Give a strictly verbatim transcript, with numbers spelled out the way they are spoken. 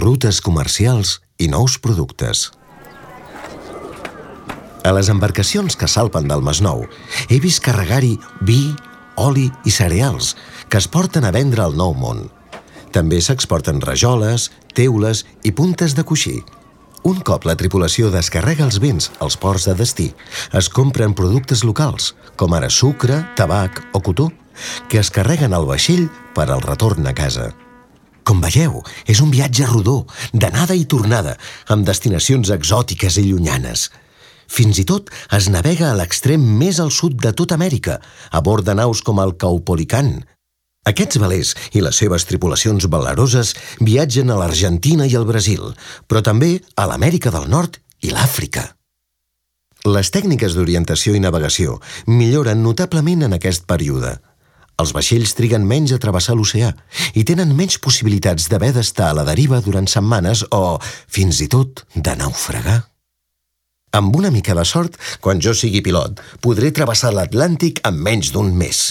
rutes comercials i nous productes. A les embarcacions que salpen del Masnou he vist carregar-hi vi, oli i cereals que es porten a vendre al Nou Món. També s'exporten rajoles, teules i puntes de coixí. Un cop la tripulació descarrega els béns als ports de destí, es compren productes locals, com ara sucre, tabac o cotó, que es carreguen al vaixell per al retorn a casa. Com veieu, és un viatge rodó, d'anada i tornada, amb destinacions exòtiques i llunyanes. Fins i tot es navega a l'extrem més al sud de tota Amèrica, a bord de naus com el Caupolicán. Aquests velers i les seves tripulacions valeroses viatgen a l'Argentina i al Brasil, però també a l'Amèrica del Nord i l'Àfrica. Les tècniques d'orientació i navegació milloren notablement en aquest període. Els vaixells triguen menys a travessar l'oceà i tenen menys possibilitats d'haver d'estar a la deriva durant setmanes o, fins i tot, de naufragar. Amb una mica de sort, quan jo sigui pilot, podré travessar l'Atlàntic en menys d'un mes.